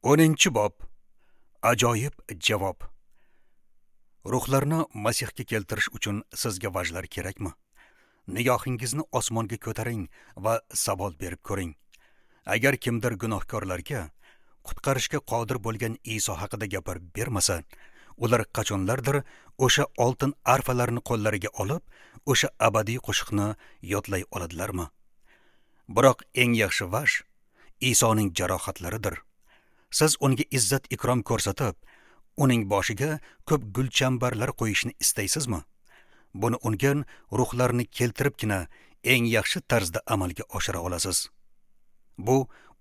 10-bob. Ajoyib javob. Ruhlarni Masihga keltirish uchun sizga vajlar kerakmi? Nigohingizni osmonga ko'taring va savol berib ko'ring. Agar kimdir gunohkorlarga qutqarishga qodir bo'lgan Iso haqida gapirib bermasa, ular qachonlardir o'sha oltin arfalarni qo'llariga olib, o'sha abadiy qo'shiqni yodlay oladilarmi? Biroq eng yaxshi vaj Isoning jarohatlaridir. Siz unga izzat ikrom ko'rsatib, uning boshiga ko'p gulchambarlar qo'yishni istaysizmi? Buni unga ruhlarni keltiribgina eng yaxshi tarzda amalga oshira olasiz. Bu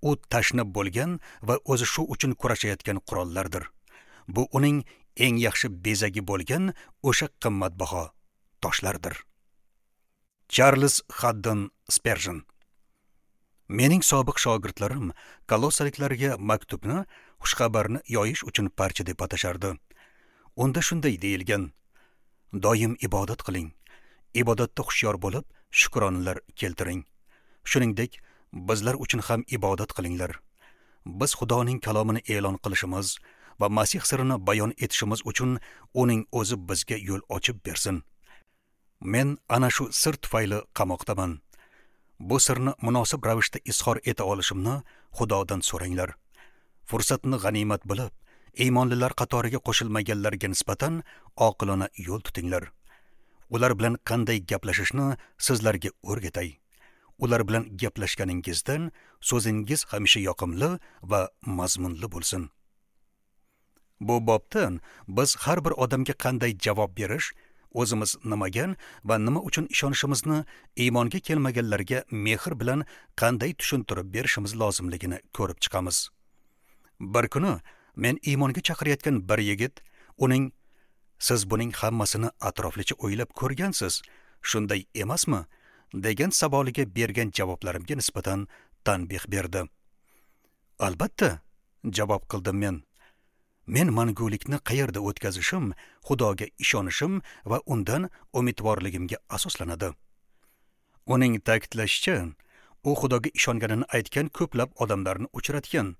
u tashna bo'lgan va o'zi shu uchun kurashayotgan qurollardir. Bu uning eng yaxshi bezagi bo'lgan o'sha qimmatbaho toshlardir. Charles Haddon Spurgeon. Mening sobiq shogirdlarim Kolossaliklarga maktubni xushxabarni yoyish uchun parcha deb atashardi. Unda shunday deyilgan: doim ibodat qiling, ibodatda hushyor bo'lib, shukronalar keltiring. Shuningdek, bizlar uchun ham ibodat qilinglar. Biz Xudoning kalomini e'lon qilishimiz va Masih sirini bayon etishimiz uchun uning o'zi bizga yo'l ochib bersin. Men ana shu sir tufayli qamoqdaman. Bu sirni munosib ravishda izhor eta olishimni Xudodan so'ranglar. Fursatni g'animat bilib, iymonlilar qatoriga qo'shilmaganlarga nisbatan oqilona yo'l tutinglar. Ular bilan qanday gaplashishni sizlarga o'rgatay. Ular bilan gaplashganingizdan so'zingiz hamisha yoqimli va mazmunli bo'lsin. Bu bobdan biz har bir odamga qanday javob berish, o'zimiz nimaga va nima uchun ishonishimizni iymonga kelmaganlarga mehr bilan qanday tushuntirib berishimiz lozimligini ko'rib chiqamiz. Bir kuni men iymonga chaqirayotgan bir yigit uning "Siz buning hammasini atroflicha o'ylab ko'rgansiz, shunday emasmi?" degan savoliga bergan javoblarimga nisbatan tanbeh berdi. "Albatta," javob qildim men. Men mangulikni qayerda o'tkazishim, Xudoga ishonishim va undan umidvorligimga asoslanadi. Uning ta'kidlashicha, u Xudoga ishonganini aytgan ko'plab odamlarni uchratgan,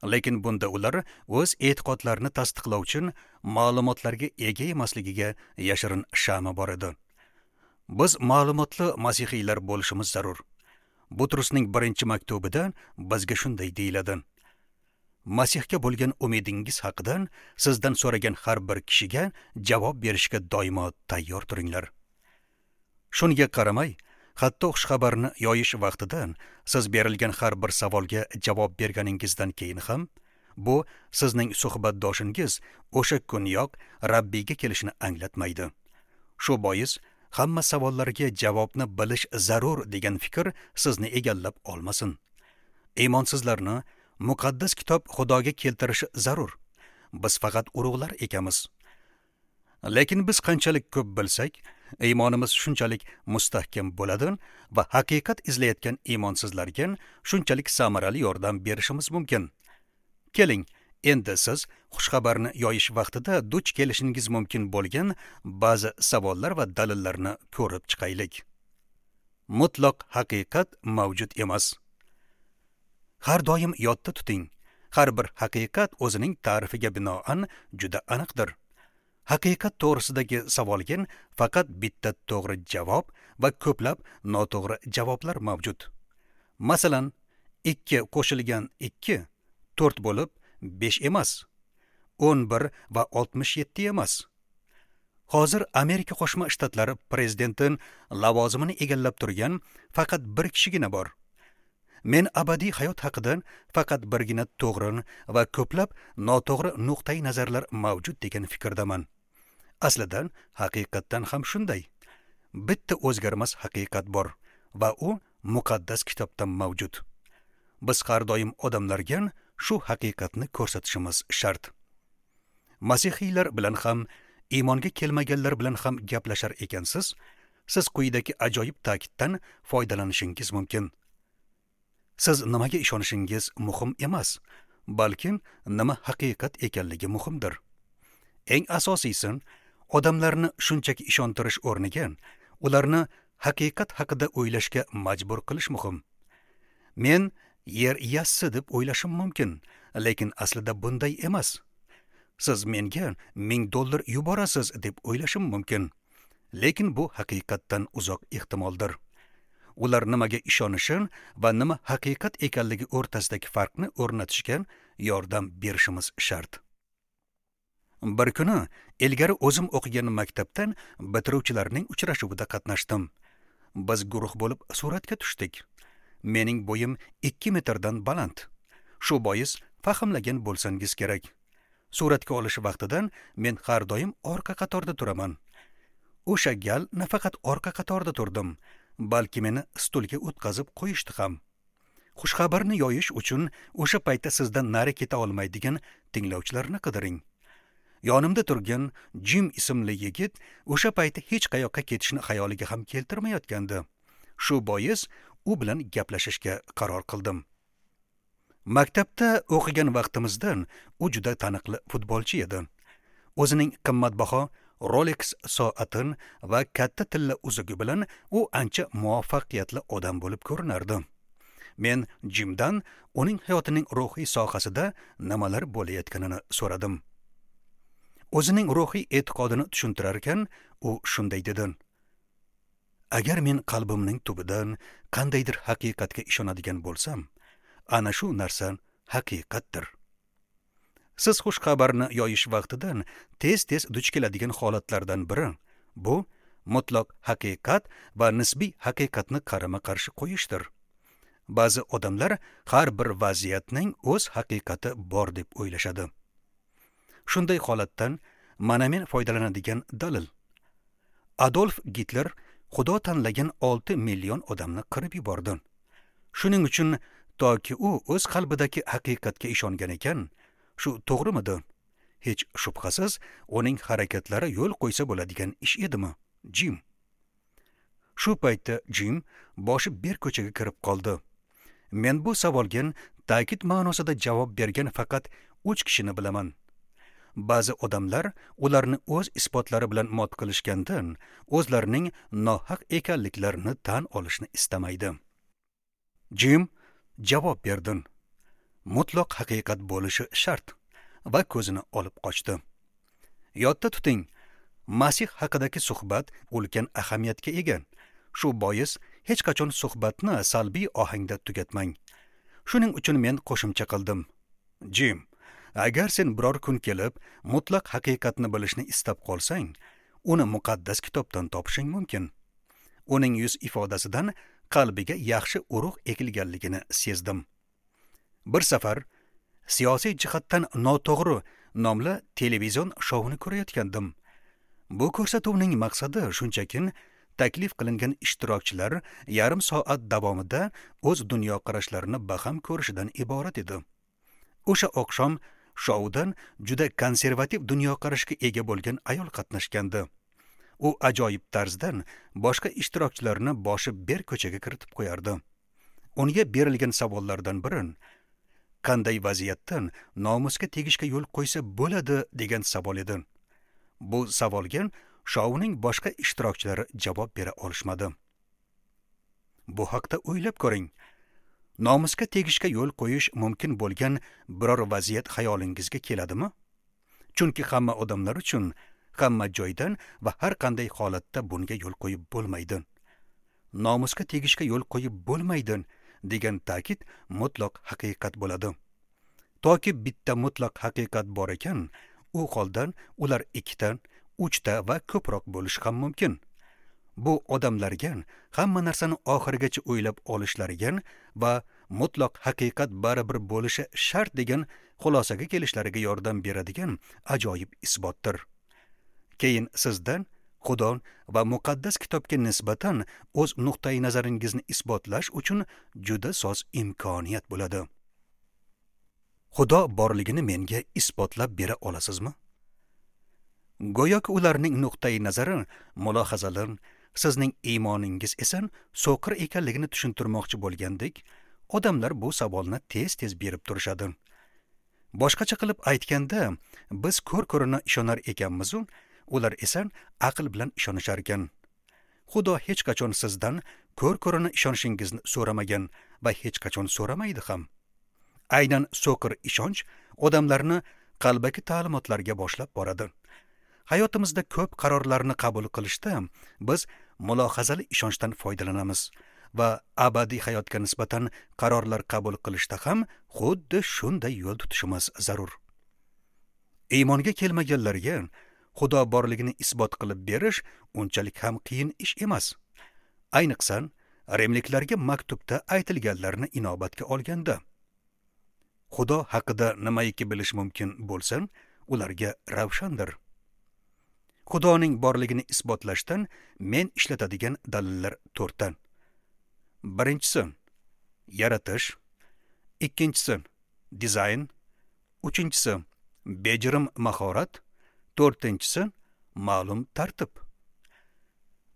lekin bunda ular o'z e'tiqodlarini tasdiqlovchi ma'lumotlarga ega emasligiga yashirin shama bor edi. Biz ma'lumotli masihiylar bo'lishimiz zarur. Butrusning 1-maktubida bizga shunday deyiladi: Masihga bo'lgan umidingiz haqida sizdan so'ragan har bir kishiga javob berishga doimo tayyor turinglar. Shunga qaramay, hatto xushxabarni yoyish vaqtida siz berilgan har bir savolga javob berganingizdan keyin ham bu sizning suhbatdoshingiz o'sha kuniyoq Rabbiyga kelishini anglatmaydi. Shu bois hamma savollarga javobni bilish zarur degan fikr sizni egallab olmasin. Iymonsizlarni Muqaddas kitob Xudoga keltirishi zarur. Biz faqat urug'lar ekanmiz. Lekin biz qanchalik ko'p bilsak, iymonimiz shunchalik mustahkam bo'ladi va haqiqat izlayotgan iymonsizlarga shunchalik samarali yordam berishimiz mumkin. Keling, endi siz xushxabarni yoyish vaqtida duch kelishingiz mumkin bo'lgan ba'zi savollar va dalillarni ko'rib chiqaylik. Mutlaq haqiqat mavjud emas. Har doim yodda tuting, har bir haqiqat o'zining ta'rifiga binoan juda aniqdir. Haqiqat to'g'risidagi savolga faqat bitta to'g'ri javob va ko'plab noto'g'ri javoblar mavjud. Masalan, 2 qo'shilgan 2 4 bo'lib 5 emas, 11 va 67 emas. Hozir Amerika Qo'shma Shtatlari prezidenti lavozimini egallab turgan faqat bir kishigina bor. Men abadiy hayot haqida faqat birgina to'g'ri va ko'plab noto'g'ri nuqtai nazarlar mavjud degan fikrdaman. Aslida haqiqatdan ham shunday. Bitta o'zgarmas haqiqat bor va u muqaddas kitobda mavjud. Biz har doim odamlarga shu haqiqatni ko'rsatishimiz shart. Masihiylar bilan ham, iymonga kelmaganlar bilan ham gaplashar ekansiz, siz quyidagi ajoyib ta'kiddan foydalanishingiz mumkin. Siz nimaga ishonishingiz muhim emas, balki nima haqiqat ekanligi muhimdir. Eng asosiysi, odamlarni shunchaki ishontirish o'rniga ularni haqiqat haqida o'ylashga majbur qilish muhim. Men Yer yassi deb o'ylashim mumkin, lekin aslida bunday emas. Siz menga $1000 yuborasiz deb o'ylashim mumkin, lekin bu haqiqatdan uzoq ehtimoldir. Ular nimaga ishonishi va nima haqiqat ekanligi o'rtasidagi farqni o'rnatishga yordam berishimiz shart. Bir kuni ilgari o'zim o'qigan maktabdan bitiruvchilarning uchrashuvida qatnashdim. Biz guruh bo'lib suratga tushdik. Mening bo'yim 2 metrdan baland. Shu bois fahmlagan bo'lsangiz kerak. Suratga olish vaqtidan men har doim orqa qatorda turaman. O'sha gal nafaqat orqa qatorda turdim, balki meni stulga o'tkazib qo'yishdi ham. Xushxabarni yoyish uchun o'sha paytda sizdan nari keta olmaydigan tinglovchilarni qidiring. Yonimda turgan Jim ismli yigit o'sha paytda hech qayoqqa ketishni xayoliga ham keltirmayotgandi. Shu bois u bilan gaplashishga qaror qildim. Maktabda o'qigan vaqtimizdan u juda taniqli futbolchi edi. O'zining qimmatbaho Rolex soatin va katta tilla uzugi bilan u ancha muvaffaqiyatli odam bo'lib ko'rinardi. Men Jimdan uning hayotining ruhiy sohasida nimalar bo'layotganini so'radim. O'zining ruhiy e'tiqodini tushuntirar ekan, u shunday dedi: Agar men qalbimning tubidan qandaydir haqiqatga ishonadigan bo'lsam, ana shu narsa haqiqatdir. Siz xushxabarni yoyish vaqtidan tez-tez duch keladigan holatlardan biri bu mutlaq haqiqat va nisbiy haqiqatni qarama-qarshi qo'yishdir. Ba'zi odamlar har bir vaziyatning o'z haqiqati bor deb o'ylashadi. Shunday holatdan mana men foydalanadigan dalil. Adolf Gitler Xudo tanlagan 6 million odamni qirib yubordi. Shuning uchun toki u o'z qalbidagi haqiqatga ishongan ekan, shu to'g'rimidi? Hech shubhasiz, uning harakatlari yo'l qo'ysa bo'ladigan ish edimi? Jim. Shu paytda Jim boshi bir ko'chaga kirib qoldi. Men bu savolga ta'kid ma'nosida javob bergan faqat 3 kishini bilaman. Ba'zi odamlar ularni o'z isbotlari bilan mot qilishgandan o'zlarining nohaq ekanliklarini tan olishni istamaydi. Jim javob berdi. Mutlaq haqiqat bo'lishi shart va ko'zini olib qochdi. Yodda tuting, Masih haqidagi suhbat ulkan ahamiyatga ega. Shu bois hech qachon suhbatni salbiy ohangda tugatmang. Shuning uchun men qo'shimcha qildim. Jim, agar sen biror kun kelib mutlaq haqiqatni bilishni istab qolsang, uni muqaddas kitobdan topishing mumkin. Uning yuz ifodasidan qalbiga yaxshi urug' ekilganligini sezdim. Bir safar siyosiy jihatdan noto'g'ri nomli televizion shouni ko'rayotgandim. Bu ko'rsatuvning maqsadi shunchakin taklif qilingan ishtirokchilar yarim soat davomida o'z dunyoqarashlarini baham ko'rishidan iborat edi. O'sha oqshom shoudan juda konservativ dunyoqarashga ega bo'lgan ayol qatnashgandi. U ajoyib tarzdan boshqa ishtirokchilarni boshi ber ko'chaga kiritib qo'yardi. Unga berilgan savollardan biri qanday vaziyatdan nomusga tegishga yo'l qo'ysa bo'ladi degan savol edi. Bu savolga shouning boshqa ishtirokchilari javob bera olishmadi. Bu haqda o'ylab ko'ring. Nomusga tegishga yo'l qo'yish mumkin bo'lgan biror vaziyat xayolingizga keladimi? Chunki hamma odamlar uchun hamma joydan va har qanday holatda bunga yo'l qo'yib bo'lmaydi. Nomusga tegishga yo'l qo'yib bo'lmaydi degan ta'kid mutlaq haqiqat bo'ladi. Toki bitta mutlaq haqiqat bor ekan, u holdan ular 2ta, 3ta va ko'proq bo'lishi ham mumkin. Bu odamlarga hamma narsani oxirigacha o'ylab olishlariga va mutlaq haqiqat baribir bo'lishi shart degan xulosaga kelishlariga yordam beradigan ajoyib isbotdir. Keyin sizdan Xudo va muqaddas kitobga nisbatan o'z nuqtai nazaringizni isbotlash uchun juda soz imkoniyat bo'ladi. Xudo borligini menga isbotlab bera olasizmi? Go'yoki ularning nuqtai nazari mulohazalar, sizning iymoningiz esa so'qir ekanligini tushuntirmoqchi bo'lgandek, odamlar bu savolni tez-tez berib turishadi. Boshqacha qilib aytganda, biz ko'r-ko'rona ishonar ekanmiz, ular esa aql bilan ishonishar ekan. Xudo hech qachon sizdan ko'r-ko'rona ishonishingizni so'ramagan va hech qachon so'ramaydi ham. Aynan so'qir ishonch odamlarni qalbaki ta'limotlarga boshlab boradi. Hayotimizda ko'p qarorlarni qabul qilishda biz mulohazali ishonchdan foydalanamiz va abadiy hayotga nisbatan qarorlar qabul qilishda ham xuddi shunday yo'l tutishimiz zarur. Iymonga kelmaganlarga Xudo borligini isbot qilib berish unchalik ham qiyin ish emas. Ayniqsa, rimliklarga maktubda aytilganlarni inobatga olganda. Xudo haqida nimaiki bilish mumkin bo'lsa, ularga ravshandir. Xudoning borligini isbotlashdan men ishlatadigan dalillar to'rtdan. Birinchisi yaratish, ikkinchisi dizayn, uchinchisi bejirim mahorat, to'rtinchisi ma'lum tartib.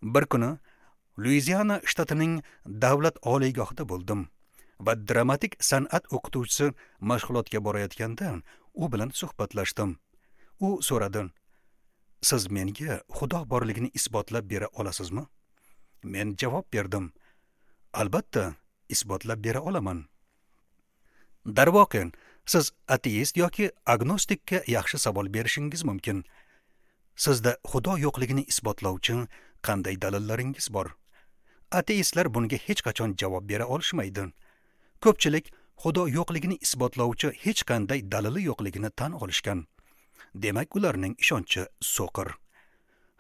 Bir kuni Luiziana shtatining davlat oliygohida bo'ldim va dramatik san'at o'qituvchisi mashg'ulotga borayotganda u bilan suhbatlashdim. U so'radi: "Siz menga Xudo borligini isbotlab bera olasizmi?" Men javob berdim: "Albatta, isbotlab bera olaman." Darvoqe, siz ateist yoki agnostikka yaxshi savol berishingiz mumkin. Sizda Xudo yo'qligini isbotlovchi qanday dalillaringiz bor? Ateistlar bunga hech qachon javob bera olishmaydi. Ko'pchilik Xudo yo'qligini isbotlovchi hech qanday dalili yo'qligini tan olishgan. Demak, ularning ishonchi so'qir.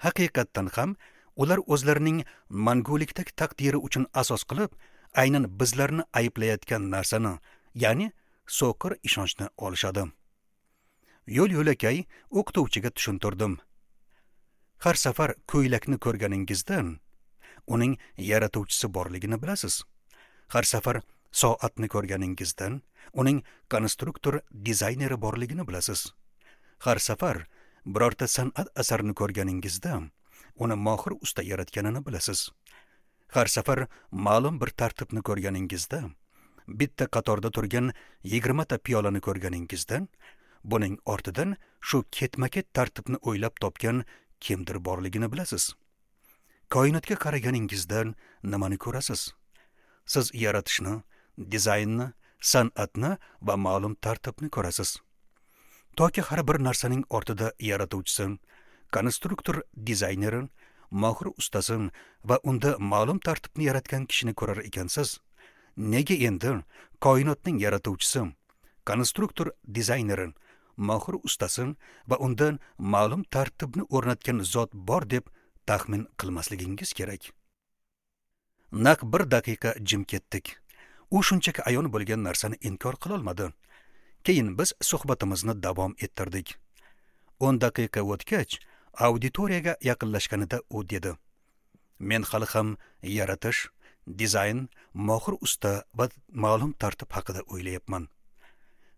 Haqiqatdan ham ular o'zlarining mangulikdagi taqdiri uchun asos qilib, aynan bizlarni ayblayotgan narsani, ya'ni so'qir ishonchni olishadi. Yo'l-yo'lakay o'qituvchiga tushuntirdim. Har safar ko'ylakni ko'rganingizda uning yaratuvchisi borligini bilasiz. Har safar soatni ko'rganingizdan uning konstruktor dizayneri borligini bilasiz. Har safar birorta san'at asarini ko'rganingizda uni mohir usta yaratganini bilasiz. Har safar ma'lum bir tartibni ko'rganingizda, bitta qatorda turgan 20 ta piyolani ko'rganingizda, buning ortidan shu ketma-ket tartibni o'ylab topgan kimdir borligini bilasiz. Koinotga qaraganingizda nimani ko'rasiz? Siz yaratishni, dizaynni, san'atni va ma'lum tartibni ko'rasiz. Toki har bir narsaning ortida yaratuvchisi, konstruktor dizayneri, mohir ustasi va unda ma'lum tartibni yaratgan kishini ko'rar ekansiz, nega endi koinotning yaratuvchisi, konstruktor dizayneri, mohir ustasi va undan ma'lum tartibni o'rnatgan zot bor deb taxmin qilmasligingiz kerak? Naq bir daqiqa jim ketdik. U shunchaki ayon bo'lgan narsani inkor qila olmadi. Keyin biz suhbatimizni davom ettirdik. 10 daqiqa o'tgach, auditoriyaga yaqinlashganida u dedi: "Men hali ham yaratish, dizayn, mohir usta va ma'lum tartib haqida o'ylayapman."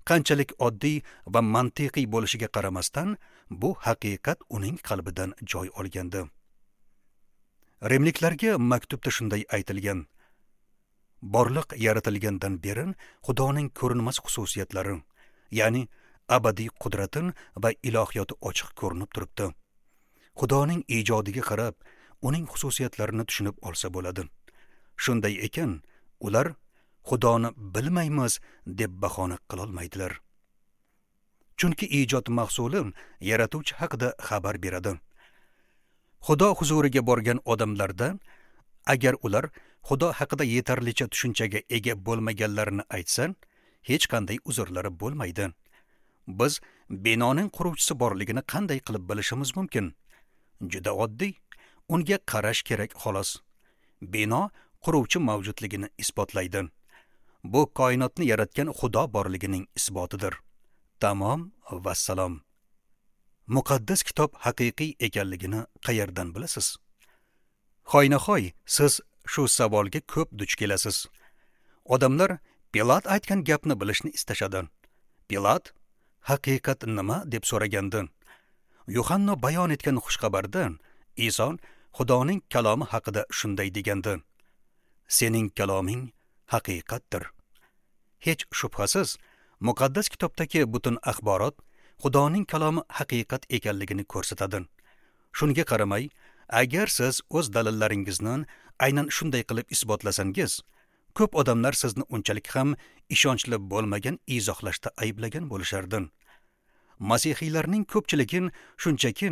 Qanchalik oddiy va mantiqiy bo'lishiga qaramasdan, bu haqiqat uning qalbidan joy olgandi. Rimliklarga maktubda shunday aytilgan: borliq yaratilgandan beri Xudoning ko'rinmas xususiyatlari, ya'ni abadiy qudrati va ilohiyoti ochiq ko'rinib turibdi. Xudoning ijodiga qarab, uning xususiyatlarini tushunib olsa bo'ladi. Shunday ekan, ular Xudoni bilmaymiz deb bahona qila olmaydilar. Chunki ijod mahsuli yaratuvchi haqida xabar beradi. Xudo huzuriga borgan odamlarda, agar ular Xudo haqida yetarlicha tushunchaga ega bo'lmaganlarini aytsa, hech qanday uzrlari bo'lmaydi. Biz binoning quruvchisi borligini qanday qilib bilishimiz mumkin? Juda oddiy. Unga qarash kerak xolos. Bino quruvchi mavjudligini isbotlaydi. Bu koinotni yaratgan Xudo borligining isbotidir. Tamom, vassalom. Muqaddas kitob haqiqiy ekanligini qayerdan bilasiz? Hoynahoy siz shu savolga ko'p duch kelasiz. Odamlar Pilat aytgan gapni bilishni istashadi. Pilat haqiqat nima deb so'ragandi. Yuhanno bayon etgan xushxabarda Iso Xudoning kalomi haqida shunday degandi: "Sening kaloming haqiqatdir." Hech shubhasiz, muqaddas kitobdagi butun axborot Xudoning kalomi haqiqat ekanligini ko'rsatadi. Shunga qaramay, Agar siz o'z dalillaringizni aynan shunday qilib isbotlasangiz, ko'p odamlar sizni unchalik ham ishonchli bo'lmagan izohlashda ayblagan bo'lishardi. Masihiylarning ko'pchiligi shunchaki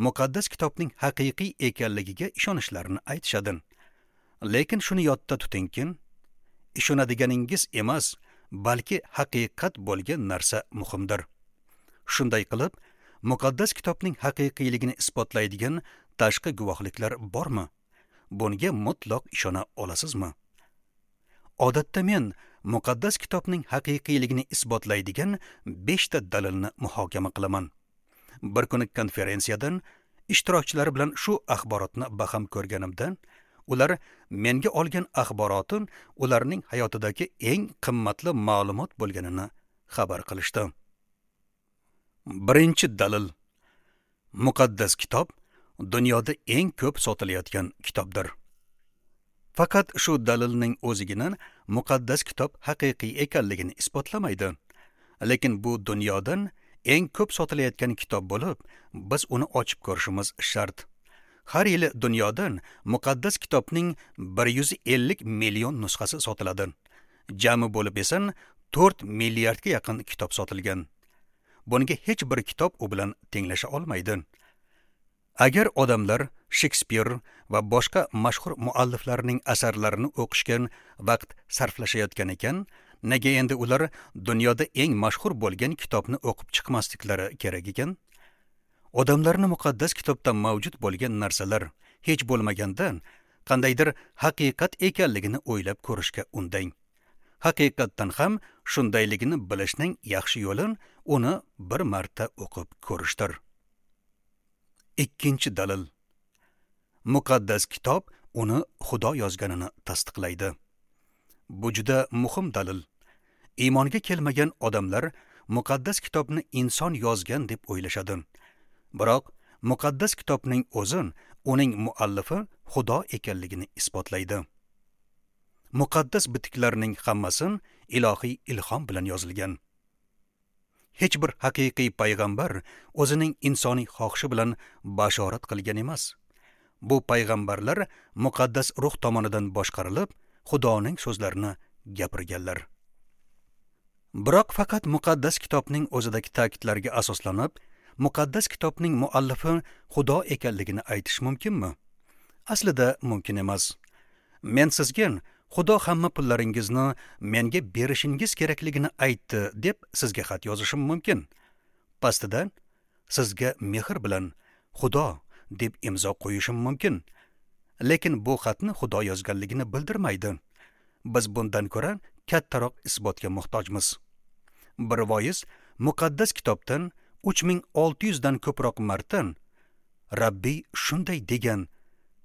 muqaddas kitobning haqiqiy ekanligiga ishonishlarini aytishadi. Lekin shuni yodda tutingki, ishonadiganingiz emas, balki haqiqat bo'lgan narsa muhimdir. Shunday qilib, muqaddas kitobning haqiqiyligini isbotlaydigan tashqi guvohliklar bormi? Bunga mutlaq ishona olasizmi? Odatda men muqaddas kitobning haqiqiyligini isbotlaydigan 5 ta dalilni muhokama qilaman. Bir kuni konferensiyadan ishtirokchilar bilan shu axborotni baham ko'rganimda, ular menga olgan axborotin ularning hayotidagi eng qimmatli ma'lumot bo'lganini xabar qilishdi. Birinchi dalil: muqaddas kitob dunyoda eng ko'p sotilayotgan kitobdir. Faqat shu dalilning o'zigina muqaddas kitob haqiqiy ekanligini isbotlamaydi. Lekin bu dunyodan eng ko'p sotilayotgan kitob bo'lib, biz uni ochib ko'rishimiz shart. Har yili dunyodan muqaddas kitobning 150 million nusxasi sotiladi. Jami bo'lib esa 4 milliardga yaqin kitob sotilgan. Bunga hech bir kitob u bilan tenglasha olmaydi. Agar odamlar Shekspir va boshqa mashhur mualliflarning asarlarini o'qishga vaqt sarflashayotgan ekan, nega endi ular dunyoda eng mashhur bo'lgan kitobni o'qib chiqmasliklari kerak ekan? Odamlarni muqaddas kitobda mavjud bo'lgan narsalar hech bo'lmaganda qandaydir haqiqat ekanligini o'ylab ko'rishga undang. Haqiqatdan ham shundayligini bilishning yaxshi yo'li uni bir marta o'qib ko'rishdir. Ikkinchi dalil: muqaddas kitob uni Xudo yozganini tasdiqlaydi. Bu juda muhim dalil. Iymonga kelmagan odamlar muqaddas kitobni inson yozgan deb o'ylashadi. Biroq muqaddas kitobning o'zi uning muallifi Xudo ekanligini isbotlaydi. Muqaddas bitiklarning hammasi ilohiy ilhom bilan yozilgan. Hech bir haqiqiy payg'ambar o'zining insoniy xohishi bilan bashorat qilgan emas. Bu payg'ambarlar muqaddas ruh tomonidan boshqarilib, Xudoning so'zlarini gapirganlar. Biroq faqat muqaddas kitobning o'zidagi ta'kidlarga asoslanib, muqaddas kitobning muallifi Xudo ekanligini aytish mumkinmi? Aslida mumkin emas. Men sizga Xudo hamma pullaringizni menga berishingiz kerakligini aytdi deb sizga xat yozishim mumkin. Pastida sizga mehr bilan Xudo deb imzo qo'yishim mumkin. Lekin bu xatni Xudo yozganligini bildirmaydi. Biz bundan ko'ra kattaroq isbotga muhtojmiz. Bir voiz muqaddas kitobdan 3600 dan ko'proq marta Rabbiy shunday degan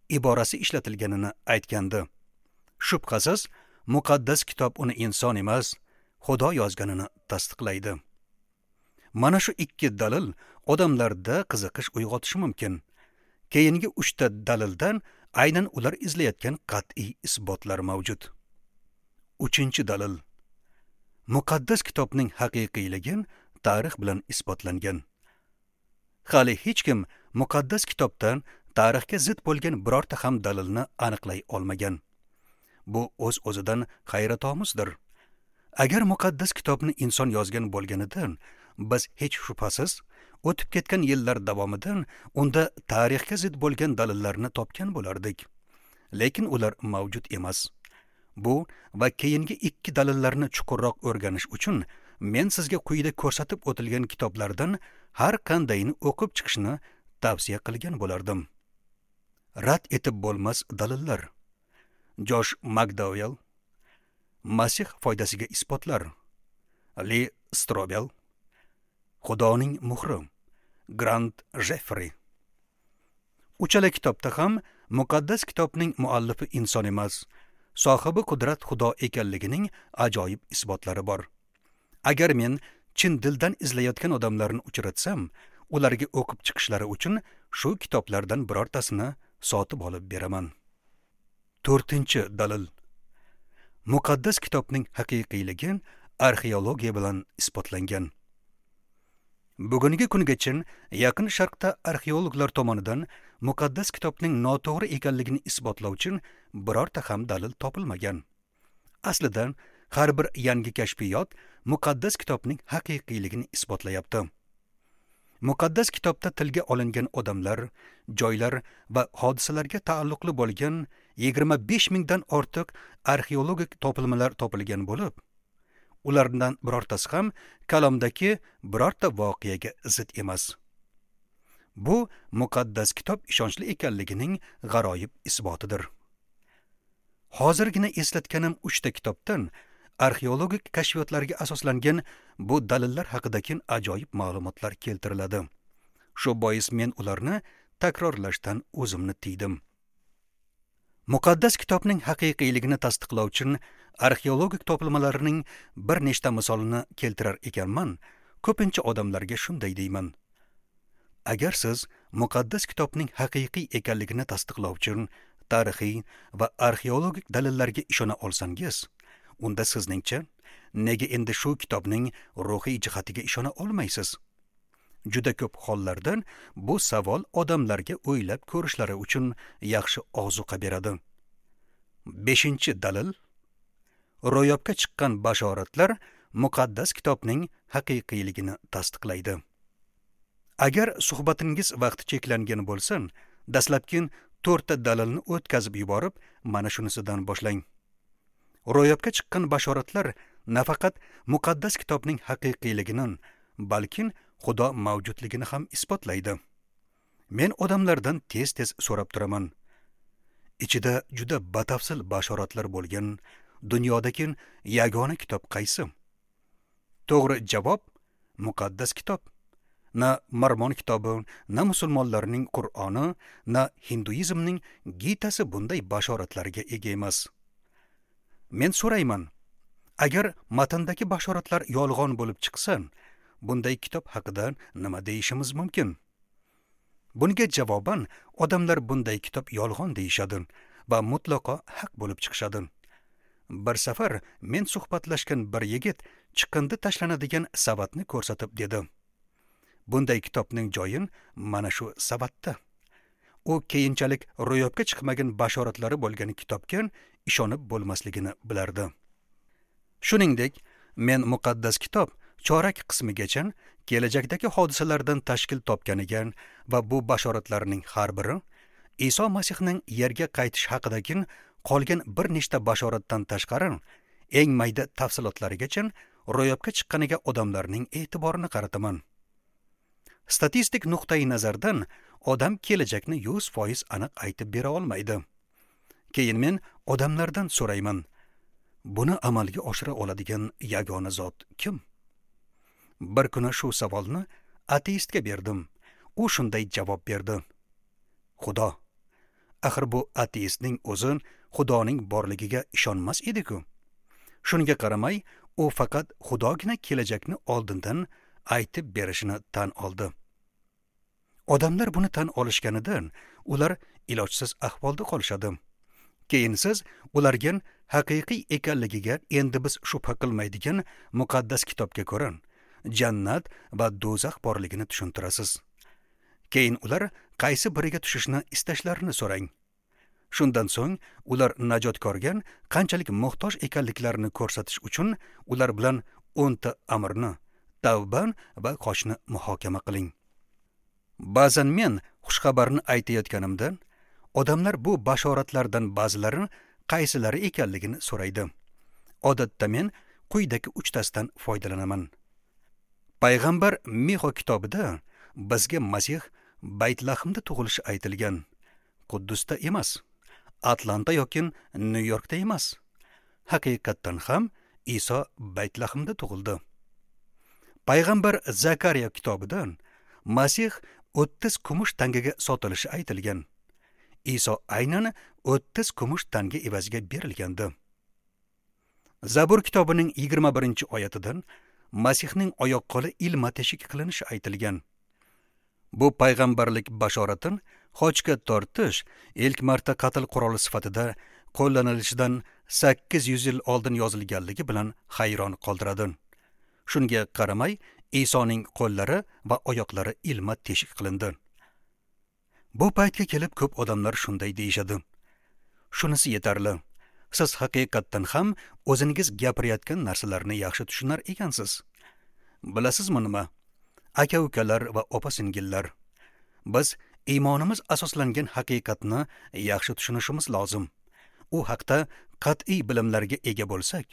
iborasi ishlatilganini aytgandi. Shubhasiz, muqaddas kitob uni inson emas, Xudo yozganini tasdiqlaydi. Mana shu ikki dalil odamlarda qiziqish uyg'otishi mumkin. Keyingi 3 ta dalildan aynan ular izlayotgan qat'iy isbotlar mavjud. 3-dalil. Muqaddas kitobning haqiqiyligi tarix bilan isbotlangan. Hali hech kim muqaddas kitobdan tarixga zid bo'lgan birorta ham dalilni aniqlay olmagan. Bu o'z-o'zidan hayratomuzdir. Agar muqaddas kitobni inson yozgan bo'lganida, biz hech shubhasiz o'tib ketgan yillar davomida unda tarixga zid bo'lgan dalillarni topgan bo'lardik. Lekin ular mavjud emas. Bu va keyingi ikki dalillarni chuqurroq o'rganish uchun men sizga quyida ko'rsatib o'tilgan kitoblardan har qandayini o'qib chiqishni tavsiya qilgan bo'lardim. Rad etib bo'lmas dalillar. Josh McDowell, Masih foydasiga isbotlar. Li Strobel, Xudoning muhri, Grant Jeffrey. Uchala kitobda ham muqaddas kitobning muallifi inson emas, sohibi qudrat Xudo ekanligining ajoyib isbotlari bor. Agar men chin dildan izlayotgan odamlarni uchratsam, ularga o'qib chiqishlari uchun shu kitoblardan birortasini sotib olib beraman. 4-dalil. Muqaddas kitobning haqiqiyligi arxeologiya bilan isbotlangan. Bugungi kungacha Yaqin Sharqda arxeologlar tomonidan muqaddas kitobning noto'g'ri ekanligini isbotlovchi birorta ham dalil topilmagan. Aslida har bir yangi kashfiyot muqaddas kitobning haqiqiyligini isbotlayapti. Muqaddas kitobda tilga olingan odamlar, joylar va hodisalarga taalluqli bo'lgan 25 mingdan ortiq arxeologik topilmalar topilgan bo'lib, ulardan birortasi ham kalomdagi birorta voqeaga zid emas. Bu muqaddas kitob ishonchli ekanligining g'aroyib isbotidir. Hozirgina eslatganim 3 ta kitobdan arxeologik kashfiyotlarga asoslangan bu dalillar haqidagi ajoyib ma'lumotlar keltiriladi. Shu bois men ularni takrorlashdan o'zimni tiydim. Muqaddas kitobning haqiqiyligini tasdiqlovchi arxeologik topilmalarning bir nechta misolini keltirar ekanman, ko'pincha odamlarga shunday deyman: agar siz muqaddas kitobning haqiqiy ekanligini tasdiqlovchi tarixiy va arxeologik dalillarga ishona olsangiz, unda sizningcha nega endi shu kitobning ruhiy jihatiga ishona olmaysiz? Juda ko'p hollarda bu savol odamlarga o'ylab ko'rishlari uchun yaxshi ozuqa beradi. 5-dalil: ro'yobga chiqqan bashoratlar muqaddas kitobning haqiqiyligini tasdiqlaydi. Agar suhbatingiz vaqti cheklangan bo'lsa, dastlabki 4 ta dalilni o'tkazib yuborib, mana shunisidan boshlang. Ro'yobga chiqqan bashoratlar nafaqat muqaddas kitobning haqiqiyligini, balki Xudo mavjudligini ham isbotlaydi. Men odamlardan tez-tez so'rab turaman. Ichida juda batafsil bashoratlar bo'lgan dunyodagi yagona kitob qaysi? To'g'ri javob muqaddas kitob. Na Mormon kitobi, na musulmonlarning Qur'oni, na hinduizmning Gitasi bunday bashoratlarga ega emas. Men so'rayman, agar matndagi bashoratlar yolg'on bo'lib chiqsa, bunday kitob haqida nima deyishimiz mumkin? Bunga javoban odamlar bunday kitob yolg'on deyishadi va mutlaqo haq bo'lib chiqishadi. Bir safar men suhbatlashgan bir yigit chiqindi tashlanadigan savatni ko'rsatib dedi: bunday kitobning joyi mana shu savatda. U keyinchalik ro'yobga chiqmagan bashoratlari bo'lgan kitobga ishonib bo'lmasligini bilardi. Shuningdek, men muqaddas kitob chorak qismigacha kelajakdagi hodisalardan tashkil topganiga va bu bashoratlarning har biri Iso Masihning yerga qaytish haqidagi qolgan bir nechta bashoratdan tashqari eng mayda tafsilotlarigacha ro'yobga chiqqaniga odamlarning e'tiborini qarataman. Statistik nuqtai nazardan odam kelajakni 100% aniq aytib bera olmaydi. Keyin men odamlardan so'rayman: buni amalga oshira oladigan yagona zot kim? Bir kuni shu savolni ateistga berdim. U shunday javob berdi: Xudo. Axir bu ateistning o'zi Xudoning borligiga ishonmas edi-ku. Shunga qaramay, u faqat Xudogina kelajakni oldindan aytib berishini tan oldi. Odamlar buni tan olishganidan ular ilojsiz ahvolda qolishadi. Keyin siz ularga haqiqiy ekanligiga endi biz shubha qilmaydigan muqaddas kitobga ko'ra jannat va do'zax borligini tushuntirasiz. Keyin ular qaysi biriga tushishni istashlarini so'rang. Shundan so'ng ular najotkorga qanchalik muhtoj ekanliklarini ko'rsatish uchun ular bilan 10 ta amrni, tavba va qochni muhokama qiling. Ba'zan men xushxabarni aytayotganimda odamlar bu bashoratlardan ba'zilari qaysilari ekanligini so'raydi. Odatda men quyidagi 3 tasidan foydalanaman. Payg'ambar Mixo kitobida bizga Masih Baytlahmda tug'ilishi aytilgan. Quddusda emas, Atlanta yoki Nyu-Yorkda emas. Haqiqatdan ham Iso Baytlahmda tug'ildi. Payg'ambar Zakariya kitobida Masih 30 kumush tangaga sotilishi aytilgan. Iso aynan 30 kumush tanga evaziga berilgandi. Zabur kitobining 21-oyatidan Masihning oyoq qo'li ilma teshik qilinishi aytilgan. Bu payg'ambarlik bashoratin xochga tortish ilk marta qatl quroli sifatida qo'llanilishidan 800 yil oldin yozilganligi bilan hayron qoldiradi. Shunga qaramay, Isoning qo'llari va oyoqlari ilma teshik qilindi. Bu paytga kelib ko'p odamlar shunday deyishadi. Shunisi yetarli. Siz haqiqatdan ham o'zingiz gapirayotgan narsalarni yaxshi tushunar ekansiz. Bilasizmi nima? Aka-ukalar va opa-singillar, biz iymonimiz asoslangan haqiqatni yaxshi tushunishimiz lozim. U haqda qat'iy bilimlarga ega bo'lsak,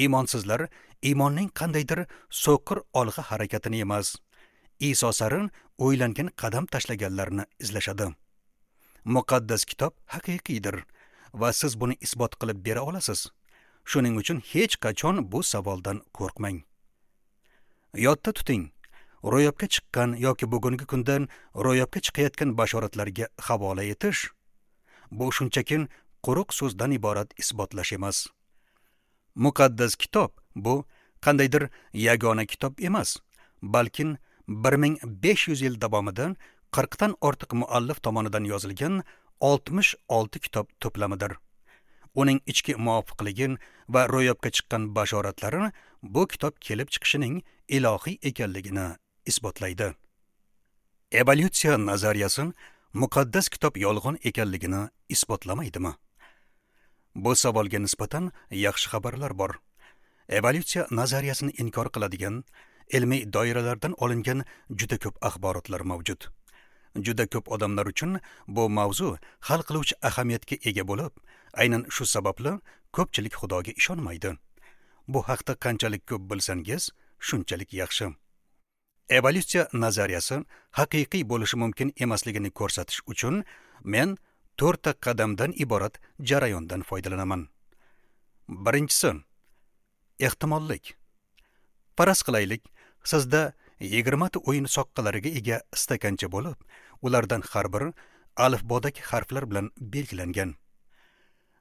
iymonsizlar iymonning qandaydir so'qir olg'a harakatini emas, Iso sari o'ylangan qadam tashlaganlarni izlashadi. Muqaddas kitob haqiqiydir va siz buni isbot qilib bera olasiz. Shuning uchun hech qachon bu savoldan qo'rqmang. Yodda tuting, ro'yobga chiqqan yoki bugungi kundan ro'yobga chiqayotgan bashoratlarga havola etish bu shunchaki quruq so'zdan iborat isbotlash emas. Muqaddas kitob bu qandaydir yagona kitob emas, balkim 1500 yil davomida 40 dan ortiq muallif tomonidan yozilgan 66 kitob to'plamidir. Uning ichki muvofiqligi va ro'yobga chiqqan bashoratlari bu kitob kelib chiqishining ilohiy ekanligini isbotlaydi. Evolyutsiya nazariyasi muqaddas kitob yolg'on ekanligini isbotlamaydimi? Bu savolga nisbatan yaxshi xabarlar bor. Evolyutsiya nazariyasini inkor qiladigan ilmiy doiralardan olingan juda ko'p axborotlar mavjud. Juda ko'p odamlar uchun bu mavzu hal qiluvchi ahamiyatga ega bo'lib, aynan shu sababli ko'pchilik Xudoga ishonmaydi. Bu haqda qanchalik ko'p bilsangiz, shunchalik yaxshi. Evolyutsiya nazariyasi haqiqiy bo'lishi mumkin emasligini ko'rsatish uchun men 4 ta qadamdan iborat jarayondan foydalanaman. Birinchisi, ehtimollik. Faraz qilaylik, sizda 20 ta o'yin soqqalariga ega stakancha bo'lib, ulardan har biri alifbodagi harflar bilan belgilangan.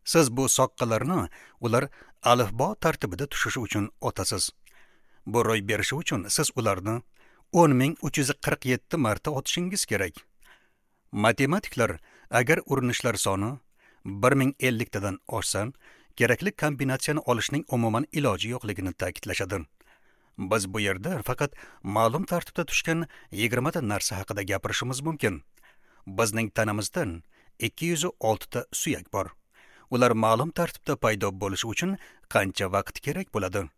Siz bu soqqalarni ular alifbo tartibida tushishi uchun otasiz. Bu ro'y berishi uchun siz ularni 10347 marta otishingiz kerak. Matematiklar agar urinishlar soni 1050 tadan oshsa, kerakli kombinatsiyani olishning umuman iloji yo'qligini ta'kidlashadi. Biz bu yerda faqat ma'lum tartibda tushgan 20 ta narsa haqida gapirishimiz mumkin. Bizning tanamizdan 206 ta suyak bor. Ular ma'lum tartibda paydo bo'lishi uchun qancha vaqt kerak bo'ladi?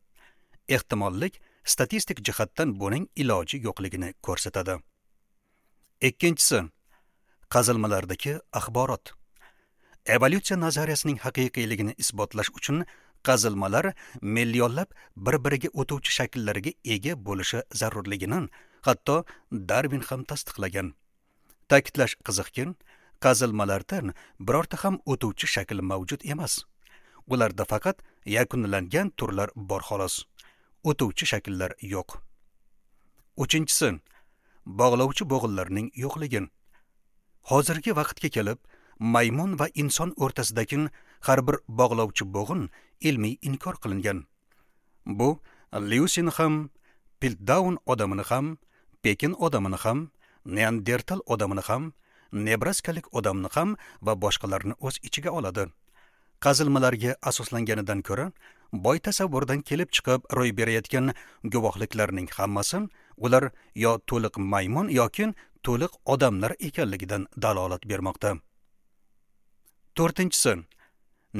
Ehtimollik statistik jihatdan buning iloji yo'qligini ko'rsatadi. Ikkinchisi, qazilmalardagi axborot. Evolyutsiya nazariyasining haqiqiyligini isbotlash uchun qazilmalar millionlab bir-biriga o'tuvchi shakllarga ega bo'lishi zarurligini hatto Darvin ham tasdiqlagan. Ta'kidlash qiziqki, qazilmalardan birorta ham o'tuvchi shakl mavjud emas. Ularda faqat yakunlangan turlar bor xolos. O'tuvchi shakllar yo'q. Uchinchisi, bog'lovchi bo'g'inlarning yo'qligi. Hozirgi vaqtga kelib, maymun va inson o'rtasidagi har bir bog'lovchi bo'g'in ilmiy inkor qilingan. Bu Lyusin ham, Piltdown odamini ham, Pekin odamini ham, Neandertal odamini ham, Nebraskalik odamni ham va boshqalarni o'z ichiga oladi. Qazilmalarga asoslanganidan ko'ra, boy tasavvurdan kelib chiqib ro'y berayotgan guvohliklarning hammasi ular yo to'liq maymun yoki to'liq odamlar ekanligidan dalolat bermoqda. To'rtinchisi,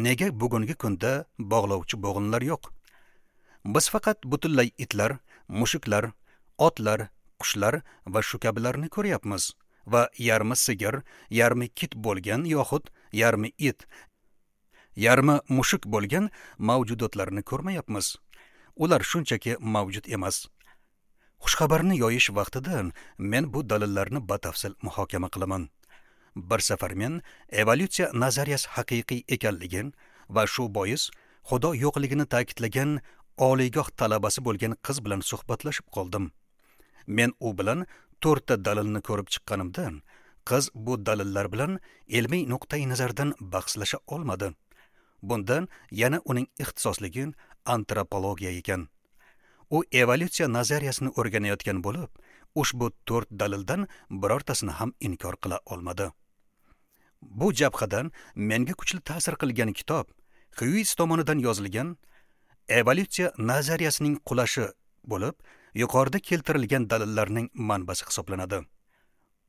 nega bugungi kunda bog'lovchi bo'g'inlar yo'q? Biz faqat butunlay itlar, mushuklar, otlar, qushlar va shu kabilarni ko'ryapmiz va yarmi sigir, yarmi kit bo'lgan yoxud yarmi it, yarmi mushuk bo'lgan mavjudotlarni ko'rmayapmiz. Ular shunchaki mavjud emas. Xushxabarni yoyish vaqtida men bu dalillarni batafsil muhokama qilaman. Bir safar men evolyutsiya nazariyasi haqiqiy ekanligini va shu bois Xudo yo'qligini ta'kidlagan oliygoh talabasi bo'lgan qiz bilan suhbatlashib qoldim. Men u bilan 4 ta dalilni ko'rib chiqqanimda, qiz bu dalillar bilan ilmiy nuqtai nazardan bahslasha olmadi. Bundan yana uning ixtisosligi antropologiya ekan. U evolyutsiya nazariyasini o'rganayotgan bo'lib, ushbu 4 dalildan birortasini ham inkor qila olmadi. Bu jabhadan menga kuchli ta'sir qilgan kitob Xyuis tomonidan yozilgan Evolyutsiya nazariyasining qulashi bo'lib, yuqorida keltirilgan dalillarning manbasi hisoblanadi.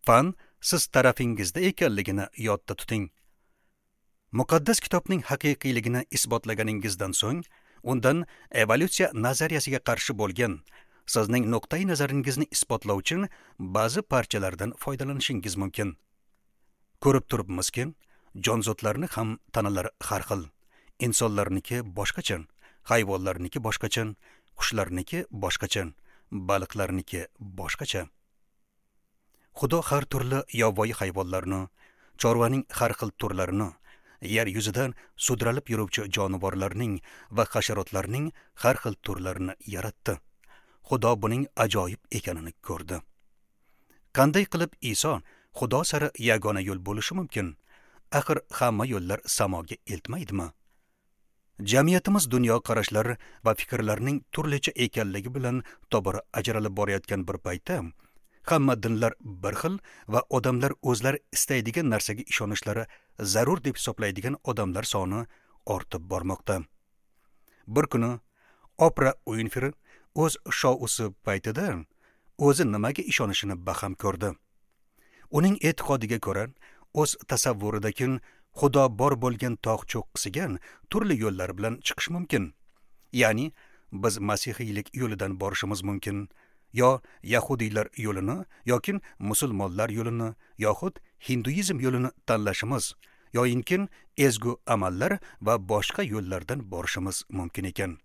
Fan siz tarafingizda ekanligini yodda tuting. Muqaddas kitobning haqiqiyligini isbotlaganingizdan so'ng, undan evolyutsiya nazariyasiga qarshi bo'lgan sizning nuqtai nazaringizni isbotlovchi ba'zi parchalardan foydalanishingiz mumkin. Ko'rib turibmizki, jonzotlarni ham tanalari har xil. Insonlarniki boshqacha, hayvonlarniki boshqacha, qushlarniki boshqacha, baliqlarniki boshqacha. Xudo har turli yovvoyi hayvonlarni, chorvaning har xil turlarini, yer yuzidan sudralib yuruvchi jonivorlarning va hasharotlarning har xil turlarini yaratdi. Xudo buning ajoyib ekanini ko'rdi. Qanday qilib Iso Xudo sari yagona yo'l bo'lishi mumkin? Axir hamma yo'llar samoga eltmaydimi? Jamiyatimiz dunyo qarashlari va fikrlarining turlicha ekanligi bilan tobora ajralib borayotgan bir paytda hamma dinlar bir xil va odamlar o'zlari istaydigan narsaga ishonishlari zarur deb hisoblaydigan odamlar soni ortib bormoqda. Bir kuni Opra Uinfri o'z shousi paytida o'zi nimaga ishonishini baham ko'rdi. Uning e'tiqodiga ko'ra, o'z tasavvuridagi Xudo bor bo'lgan tog' cho'qqisiga turli yo'llar bilan chiqish mumkin. Ya'ni biz masihiylik yo'lidan borishimiz mumkin, yo yahudiylar yo'lini, yoki musulmonlar yo'lini, yoxud hinduizm yo'lini tanlashimiz, yoyinki ezgu amallar va boshqa yo'llardan borishimiz mumkin ekan.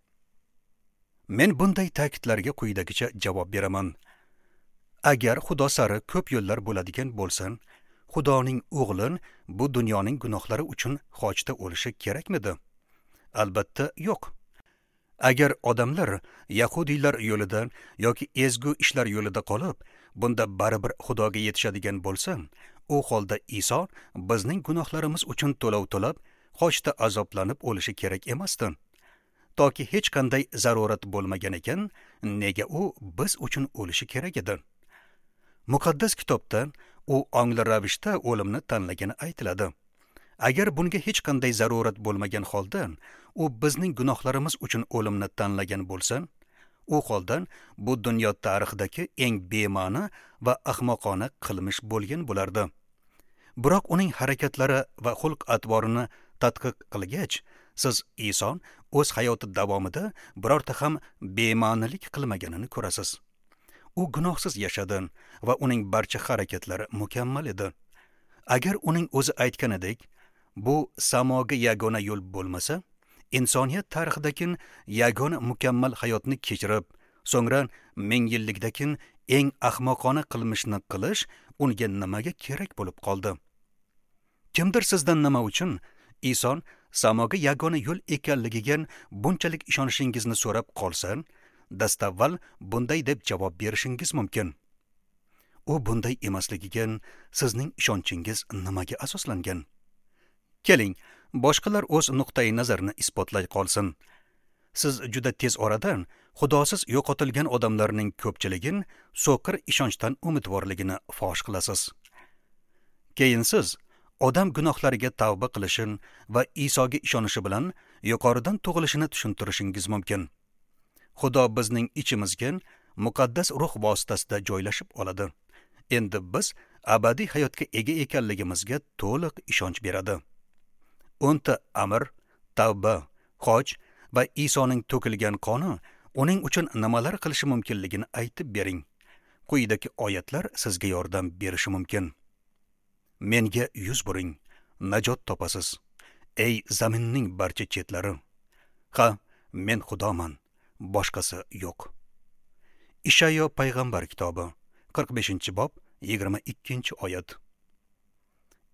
Men bunday ta'kidlarga quyidagicha javob beraman. Agar Xudo sari ko'p yo'llar bo'ladigan bo'lsa, Xudoning o'g'li bu dunyoning gunohlari uchun xochda o'lishi kerakmidi? Albatta yo'q. Agar odamlar yahudiylar yo'lida yoki ezgu ishlar yo'lida qolib, bunda baribir Xudoga yetishadigan bo'lsa, u holda Iso bizning gunohlarimiz uchun to'lov to'lab, xochda azoblanib o'lishi kerak emasdi. Toki hech qanday zarurat bo'lmagan ekan, nega u biz uchun o'lishi kerak edi? Muqaddas kitobda u ongli ravishda o'limni tanlagani aytiladi. Agar bunga hech qanday zarurat bo'lmagan holda u bizning gunohlarimiz uchun o'limni tanlagan bo'lsa, u holda bu dunyo tarixidagi eng bema'ni va ahmoqona qilmish bo'lgan bo'lardi. Biroq uning harakatlari va xulq-atvorini tadqiq qilgach, siz Iso o'z hayoti davomida birorta ham bema'nilik qilmaganini ko'rasiz. U gunohsiz yashadi va uning barcha harakatlari mukammal edi. Agar uning o'zi aytganidek, bu samoga yagona yo'l bo'lmasa, insoniyat tarixidagi yagona mukammal hayotni kechirib, so'ngra ming yillikdagi eng ahmoqona qilmishni qilish unga nimaga kerak bo'lib qoldi? Kimdir sizdan nima uchun Iso samoga yagona yo'l ekanligiga bunchalik ishonishingizni so'rab qolsa, dastavval bunday deb javob berishingiz mumkin. U bunday emasligiga sizning ishonchingiz nimaga asoslangan? Keling, boshqalar o'z nuqtai nazarini isbotlay qolsin. Siz juda tez orada Xudosiz yo'qotilgan odamlarning ko'pchiligin so'qir ishonchdan umidvorligini fosh qilasiz. Keyin siz odam gunohlariga tavba qilishin va Isoga ishonishi bilan yuqoridan tug'ilishini tushuntirishingiz mumkin. Xudo bizning ichimizga muqaddas ruh vositasida joylashib oladi. Endi biz abadiy hayotga ega ekanligimizga to'liq ishonch beradi. 10 ta amr, tavba, xoch va Isoning to'kilgan qoni uning uchun nimalar qilishi mumkinligini aytib bering. Quyidagi oyatlar sizga yordam berishi mumkin. Menga yuz buring, najot topasiz. Ey zaminning barcha chetlari. Ha, men Xudoman, boshqasi yo'q. Ishayo payg'ambar kitobi, 45-bob, 22-oyat.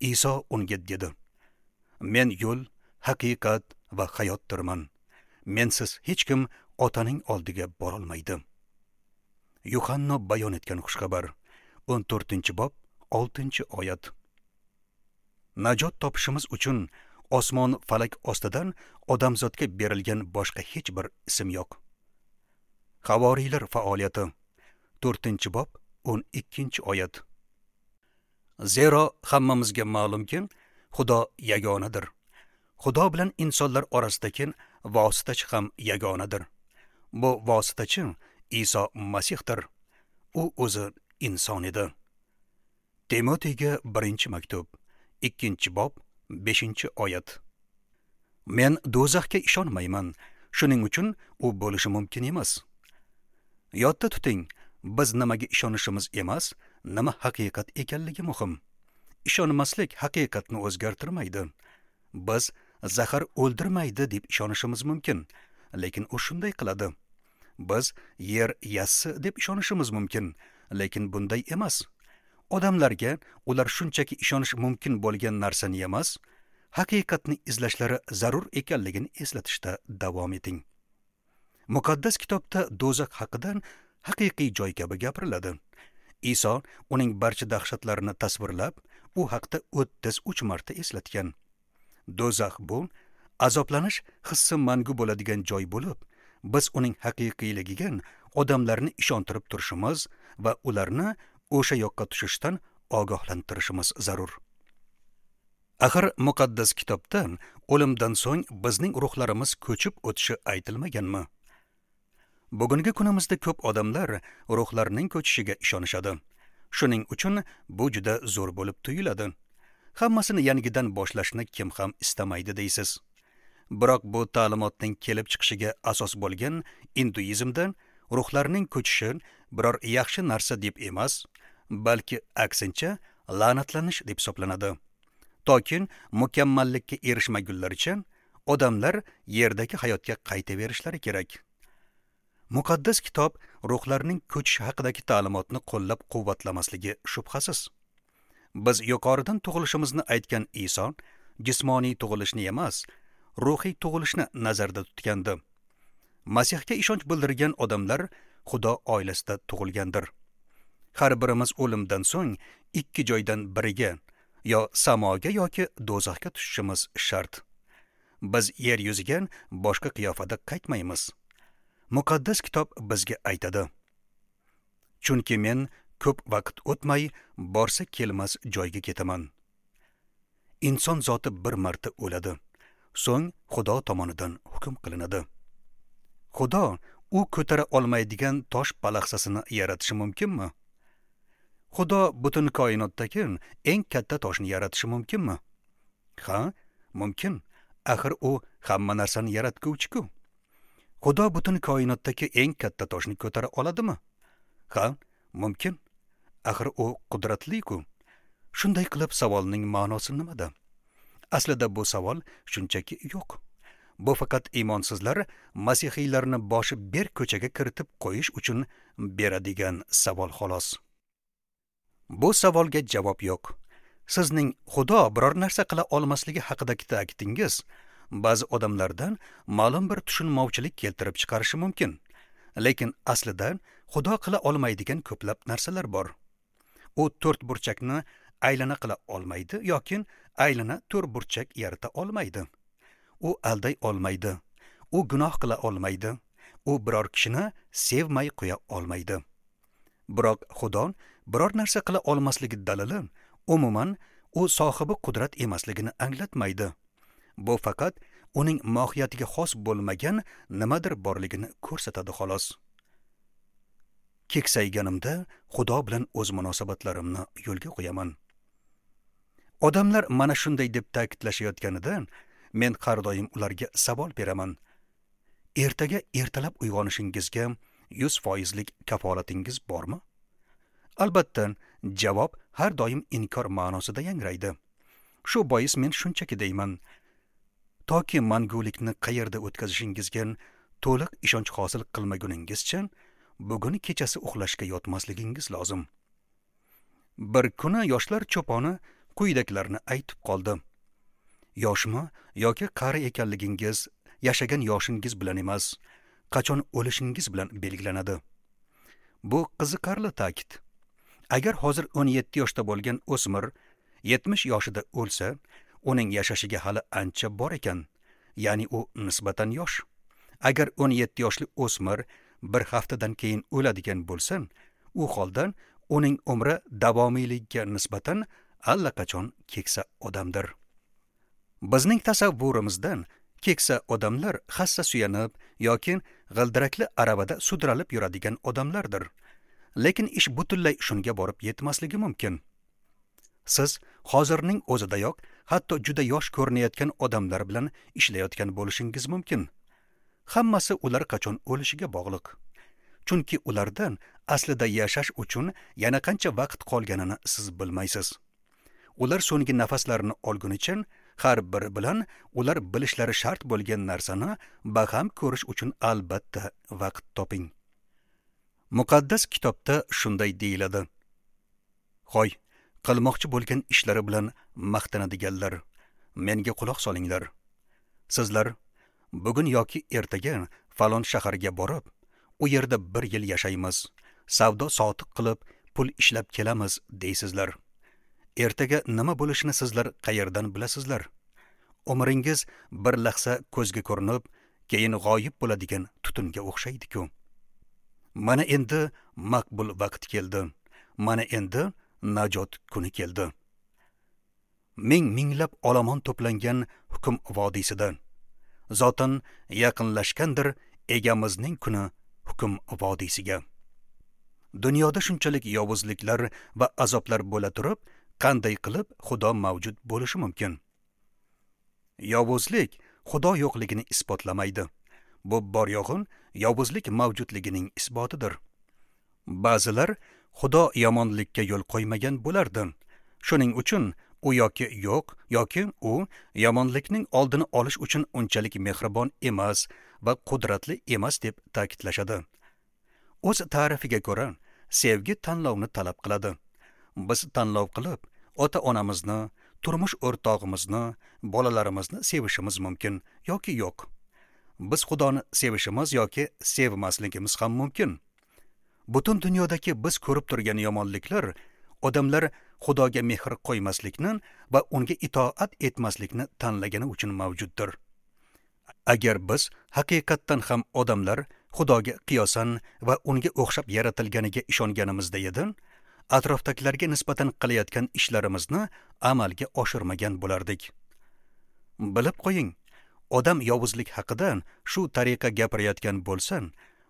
Iso unga dedi: Men yo'l, haqiqat va hayotdirman. Mensiz hech kim Otaning oldiga borolmaydi. Yuhanno bayon etgan xushxabar, 14-bob, 6-oyat. Najot topishimiz uchun osmon falak ostidan odamzodga berilgan boshqa hech bir ism yo'q. Havoriylar faoliyati, 4-bob, 12-oyat. Zero hammamizga ma'lumki, Xudo yagonadir. Xudo bilan insonlar orasidagi vositachi ham yagonadir. Bu vositachi Iso Masihdir. U o'zi inson edi. Timoteyga 1-maktub, 2-bob, 5-oyat. Men do'zaxga ishonmayman. Shuning uchun u bo'lishi mumkin emas. Yodda tuting, biz nimaga ishonishimiz emas, nima haqiqat ekanligi muhim. Ishonmaslik haqiqatni o'zgartirmaydi. Biz zahar o'ldirmaydi deb ishonishimiz mumkin, lekin u shunday qiladi. Biz yer yassi deb ishonishimiz mumkin, lekin bunday emas. Odamlarga ular shunchaki ishonish mumkin bo'lgan narsani emas, haqiqatni izlashlari zarur ekanligini eslatishda davom eting. Muqaddas kitobda do'zax haqida haqiqiy joy kabi gapiriladi. Iso uning barcha dahshatlarini tasvirlab, u haqda 33 marta eslatgan. Do'zax bu azoblanish hissi mangu bo'ladigan joy bo'lib, biz uning haqiqiyligiga odamlarni ishontirib turishimiz va ularni o'sha yoqqa tushishdan ogohlantirishimiz zarur. Axir muqaddas kitobda o'limdan so'ng bizning ruhlarimiz ko'chib o'tishi aytilmaganmi? Bugungi kunimizda ko'p odamlar ruhlarning ko'chishiga ishonishadi. Shuning uchun bu juda zo'r bo'lib tuyuladi. Hammasini yangidan boshlashni kim ham istamaydi deysiz. Biroq bu ta'limotning kelib chiqishiga asos bo'lgan induizmda ruhlarning ko'chishi biror yaxshi narsa deb emas, balki aksincha la'natlanish deb hisoblanadi. Toki mukammallikka erishmagunlaricha odamlar yerdagi hayotga qaytaverishlari kerak. Muqaddas kitob ruhlarning ko'chishi haqidagi ta'limotni qo'llab-quvvatlamasligi shubhasiz. Biz yuqoridan tug'ilishimizni aytgan Iso jismoniy tug'ilishni emas, ruhiy tug'ilishni nazarda tutgandi. Masihga ishonch bildirgan odamlar Xudo oilasida tug'ilgandir. Har birimiz o'limdan so'ng ikki joydan biriga, yo samoga yoki do'zaxga tushishimiz shart. Biz yer yuziga boshqa qiyofada qaytmaymiz. Muqaddas kitob bizga aytadi: Chunki men ko'p vaqt o'tmay borsa kelmas joyga ketaman. Inson zoti bir marta o'ladi, so'ng Xudo tomonidan hukm qilinadi. Xudo u ko'tara olmaydigan tosh palaxsasini yaratishi mumkinmi? Xudo butun koinotdagi eng katta toshni yaratishi mumkinmi? Ha, mumkin. Axir u hamma narsani yaratguvchi-ku. Xudo butun koinotdagi eng katta toshni ko'tara oladimi? Ha, mumkin. Axir u qudratli-ku. Shunday qilib savolning ma'nosi nimada? Aslida bu savol shunchaki yo'q. Bu faqat iymonsizlar masihiylarni boshi berk ko'chaga kiritib qo'yish uchun beradigan savol xolos. Bu savolga javob yo'q. Sizning Xudo biror narsa qila olmasligi haqidagi ta'kidingiz ba'zi odamlardan ma'lum bir tushunmovchilik keltirib chiqarishi mumkin. Lekin aslida Xudo qila olmaydigan ko'plab narsalar bor. U to'rt burchakni aylana qila olmaydi yoki aylana to'rt burchak yarata olmaydi. U alday olmaydi. U gunoh qila olmaydi. U biror kishini sevmay qo'ya olmaydi. Biroq Xudo biror narsa qila olmasligi dalili umuman u sohibi qudrat emasligini anglatmaydi. Bu faqat uning mohiyatiga xos bo'lmagan nimadir borligini ko'rsatadi xolos. Keksayganimda Xudo bilan o'z munosabatlarimni yo'lga qo'yaman. Odamlar mana shunday deb ta'kidlashayotganida men har doim ularga savol beraman. Ertaga ertalab uyg'onishingizga 100% kafolatingiz bormi? Albatta, javob har doim inkor ma'nosida yangraydi. Shu bois men shunchaki deyman. Toki mangulikni qayerda o'tkazishingizga to'liq ishonch hosil qilmaguningizcha, bugun kechasi uxlashga yotmasligingiz lozim. Bir kuni yoshlar cho'poni quyidagilarni aytib qoldi. Yoshmi yoki qari ekanligingiz yashagan yoshingiz bilan emas, qachon o'lishingiz bilan belgilanadi. Bu qiziqarli ta'kid. Agar hozir 17 yoshda bo'lgan o'smir 70 yoshida o'lsa, uning yashashiga hali ancha bor ekan, ya'ni u nisbatan yosh. Agar 17 yoshli o'smir bir haftadan keyin o'ladigan bo'lsa, u holda uning umri davomiyligiga nisbatan allaqachon keksa odamdir. Bizning tasavvurimizdan Keksa odamlar hassa suyanib yoki g'ildirakli aravada sudralib yuradigan odamlardir. Lekin ish butunlay shunga borib yetmasligi mumkin. Siz hozirning o'zidayoq hatto juda yosh ko'rinayotgan odamlar bilan ishlayotgan bo'lishingiz mumkin. Hammasi ular qachon o'lishiga bog'liq. Chunki ulardan aslida yashash uchun yana qancha vaqt qolganini siz bilmaysiz. Ular so'nggi nafaslarini olgunicha har biri bilan ular bilishlari shart bo'lgan narsani baham ko'rish uchun albatta vaqt toping. Muqaddas kitobda shunday deyiladi: Hoy, qilmoqchi bo'lgan ishlari bilan maqtanadiganlar, menga quloq solinglar. Sizlar bugun yoki ertaga falon shaharga borib, u yerda bir yil yashaymiz, savdo sotiq qilib pul ishlab kelamiz deysizlar. Ertaga nima bo'lishini sizlar qayerdan bilasizlar? Umringiz bir lahza ko'zga ko'rinib, keyin g'oyib bo'ladigan tutunga o'xshaydi-ku. Mana endi maqbul vaqt keldi. Mana endi najot kuni keldi. Ming minglab olomon to'plangan hukm vodiysida. Zotan yaqinlashgandir egamizning kuni hukm vodiysiga. Dunyoda shunchalik yovuzliklar va azoblar bo'la turib, qanday qilib Xudo mavjud bo'lishi mumkin? Yovuzlik Xudo yo'qligini isbotlamaydi. Bu bor yo'g'in yovuzlik mavjudligining isbotidir. Ba'zilar Xudo yomonlikka yo'l qo'ymagan bo'lardi. Shuning uchun u yoki yo'q, yoki u yomonlikning oldini olish uchun unchalik mehribon emas va qudratli emas deb ta'kidlashadi. O'z ta'rifiga ko'ra, sevgi tanlovni talab qiladi. Biz tanlov qilib, ota-onamizni, turmush o'rtog'imizni, bolalarimizni sevishimiz mumkin yoki yo'q. Biz Xudoni sevishimiz yoki sevmasligimiz ham mumkin. Butun dunyodagi biz ko'rib turgan yomonliklar odamlar Xudoga mehr qo'ymaslikni va unga itoat etmaslikni tanlagani uchun mavjuddir. Agar biz haqiqatdan ham odamlar Xudoga qiyosan va unga o'xshab yaratilganiga ishonganimizda edi, atrofdagilarga nisbatan qilayotgan ishlarimizni amalga oshirmagan bo'lardik. Bilib qo'ying, odam yovuzlik haqida shu tariqa gapirayotgan bo'lsa,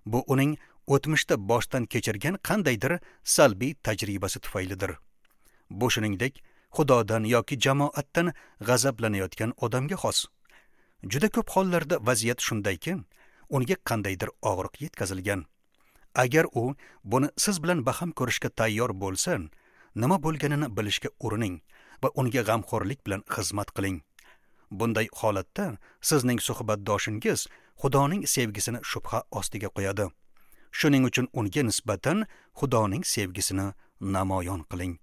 bu uning o'tmishda boshdan kechirgan qandaydir salbiy tajribasi tufaylidir. Bu shuningdek, Xudodan yoki jamoatdan g'azablanayotgan odamga xos. Juda ko'p hollarda vaziyat shundayki, unga qandaydir og'riq yetkazilgan. Agar u buni siz bilan baham ko'rishga tayyor bo'lsa, nima bo'lganini bilishga urining va unga g'amxo'rlik bilan xizmat qiling. Bunday holatda sizning suhbatdoshingiz Xudoning sevgisini shubha ostiga qo'yadi. Shuning uchun unga nisbatan Xudoning sevgisini namoyon qiling.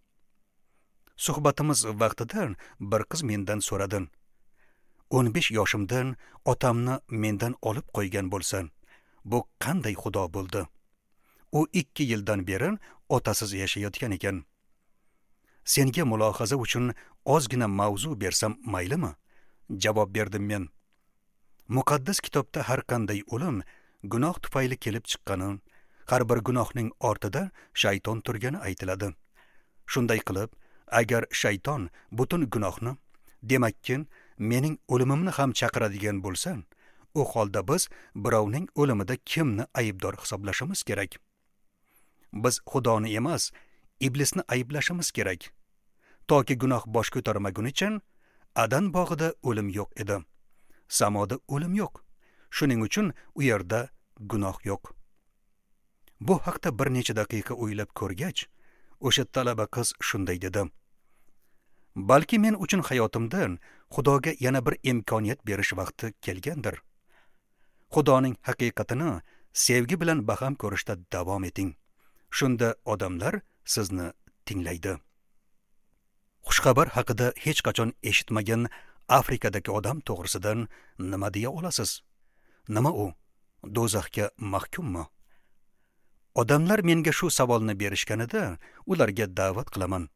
Suhbatimiz vaqtida bir qiz mendan so'radi: 15 yoshimdan otamni mendan olib qo'ygan bo'lsa, bu qanday Xudo bo'ldi? U 2 yildan beri otasiz yashayotgan ekan. Senga mulohaza uchun ozgina mavzu bersam maylimi? Javob berdim men. Muqaddas kitobda har qanday o'lim gunoh tufayli kelib chiqqani, har bir gunohning ortida shayton turgani aytiladi. Shunday qilib, agar shayton butun gunohni, demakki, mening o'limimni ham chaqiradigan bo'lsa, u holda biz birovning o'limida kimni aybdor hisoblashimiz kerak? Biz Xudoni emas, iblisni ayblashimiz kerak. Toki gunoh bosh ko'tarmagunicha Adan bog'ida o'lim yo'q edi. Samoda o'lim yo'q. Shuning uchun u yerda gunoh yo'q. Bu haqda bir necha daqiqa o'ylab ko'rgach, o'sha talaba qiz shunday dedi: Balki men uchun hayotimda Xudoga yana bir imkoniyat berish vaqti kelgandir. Xudoning haqiqatini sevgi bilan baham ko'rishda davom eting. Shunda odamlar sizni tinglaydi. Xushxabar haqida hech qachon eshitmagan Afrikadagi odam to'g'risidan nima deya olasiz? Nima u? Do'zaxga mahkummi? Odamlar menga shu savolni berishganida ularga da'vat qilaman.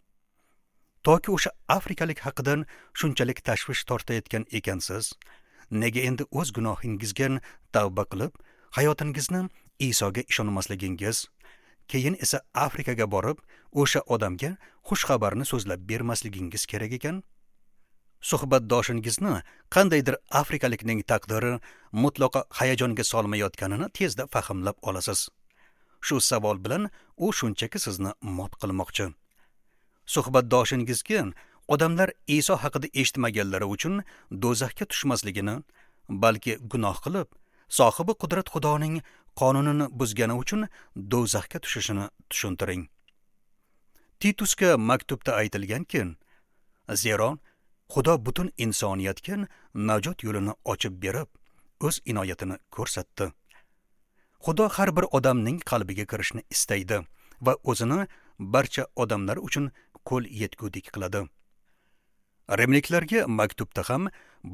Toki o'sha afrikalik haqidan shunchalik tashvish tortayotgan ekansiz, nega endi o'z gunohingizga tavba qilib, hayotingizni Isoga ishonmasligingiz, keyin esa Afrikaga borib, o'sha odamga xush xabarni so'zlab bermasligingiz kerak ekan? Suhbatdoshingizni qandaydir afrikalikning taqdiri mutlaqo hayajonga solmayotganini tezda fahmlab olasiz. Shu savol bilan u shunchaki sizni mot qilmoqchi. Suhbatdoshingizga odamlar Iso haqida eshitmaganlari uchun do'zaxga tushmasligini, balki gunoh qilib, sohibi qudrat Xudoning qonunini buzgani uchun do'zaxga tushishini tushuntiring. Titusga maktubda aytilganki, zero Xudo butun insoniyatga najot yo'lini ochib berib, o'z inoyatini ko'rsatdi. Xudo har bir odamning qalbiga kirishni istaydi va o'zini barcha odamlar uchun qo'l yetgudik qiladi. Rimliklarga maktubda ham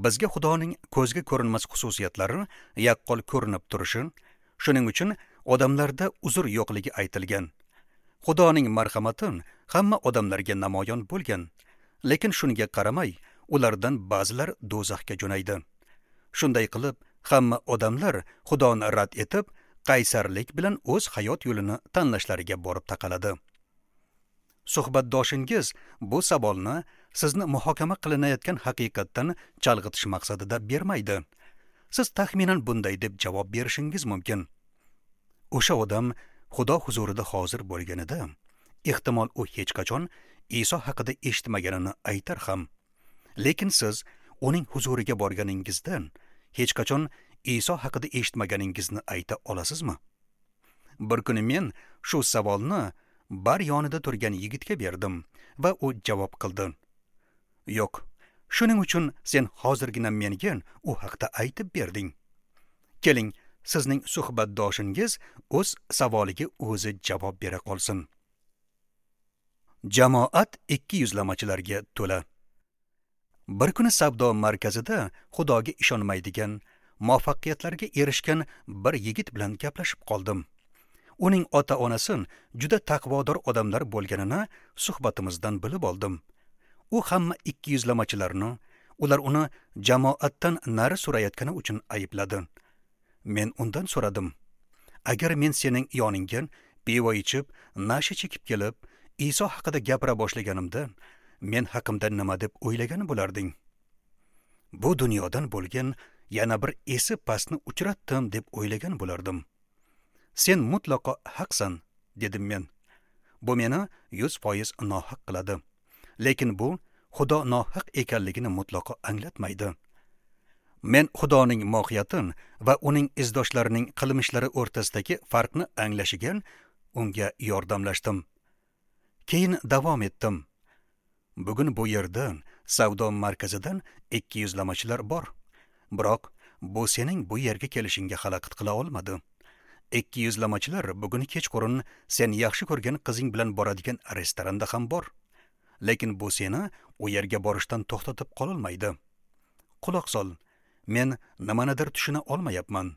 bizga Xudoning ko'zga ko'rinmas xususiyatlari yaqqol ko'rinib turishi, shuning uchun odamlarda uzr yo'qligi aytilgan. Xudoning marhamati hamma odamlarga namoyon bo'lgan, lekin shunga qaramay ulardan ba'zilar do'zaxga jo'naydi. Shunday qilib, hamma odamlar Xudoni rad etib, qaysarlik bilan o'z hayot yo'lini tanlashlariga borib taqaladi. Suhbatdoshingiz bu savolni sizni muhokama qilinayotgan haqiqatdan chalg'itish maqsadida bermaydi. Siz taxminan bunday deb javob berishingiz mumkin. O'sha odam Xudo huzurida hozir bo'lganida, ehtimol u hech qachon Iso haqida eshitmaganini aytar ham. Lekin siz uning huzuriga borganingizdan hech qachon Iso haqida eshitmaganingizni ayta olasizmi? Bir kuni men shu savolni bar yonida turgan yigitga berdim va u javob qildi. Yo'q, shuning uchun sen hozirgina menga u haqda aytib berding. Keling, sizning suhbatdoshingiz o'z savoliga o'zi javob bera qolsin. Jamoat ikki yuzlamachilarga to'la. Bir kuni savdo markazida Xudoga ishonmaydigan, muvaffaqiyatlarga erishgan bir yigit bilan gaplashib qoldim. Uning ota-onasi juda taqvodor odamlar bo'lganini suhbatimizdan bilib oldim. U hamma ikki yuzlamachilarni, ular uni jamoatdan nari surayotgani uchun aybladi. Men undan so'radim: agar men sening yoningga pivo ichib, nasha chekib kelib, Iso haqida gapira boshlaganimda, men haqimda nima deb o'ylagan bo'larding? Bu dunyodan bo'lgan yana bir esi pastni uchratdim deb o'ylagan bo'lardim. Sen mutlaqo haqsan, dedim men. Bu meni 100% nohaq qiladi. Lekin bu Xudo nohaq ekanligini mutlaqo anglatmaydi. Men Xudoning mohiyatini va uning izdoshlarining qilmishlari o'rtasidagi farqni anglashiga unga yordamlashdim. Keyin davom etdim. Bugun bu yerdan, savdo markazidan ikki yuzlamachilar bor. Biroq bu sening bu yerga kelishingga xalaqit qila olmadi. Ikki yuzlamachilar bugun kechqurun sen yaxshi ko'rgan qizing bilan boradigan restoranda ham bor. Lekin bu seni u yerga borishdan to'xtatib qololmaydi. Quloq sol, men nimanidir tushuna olmayapman.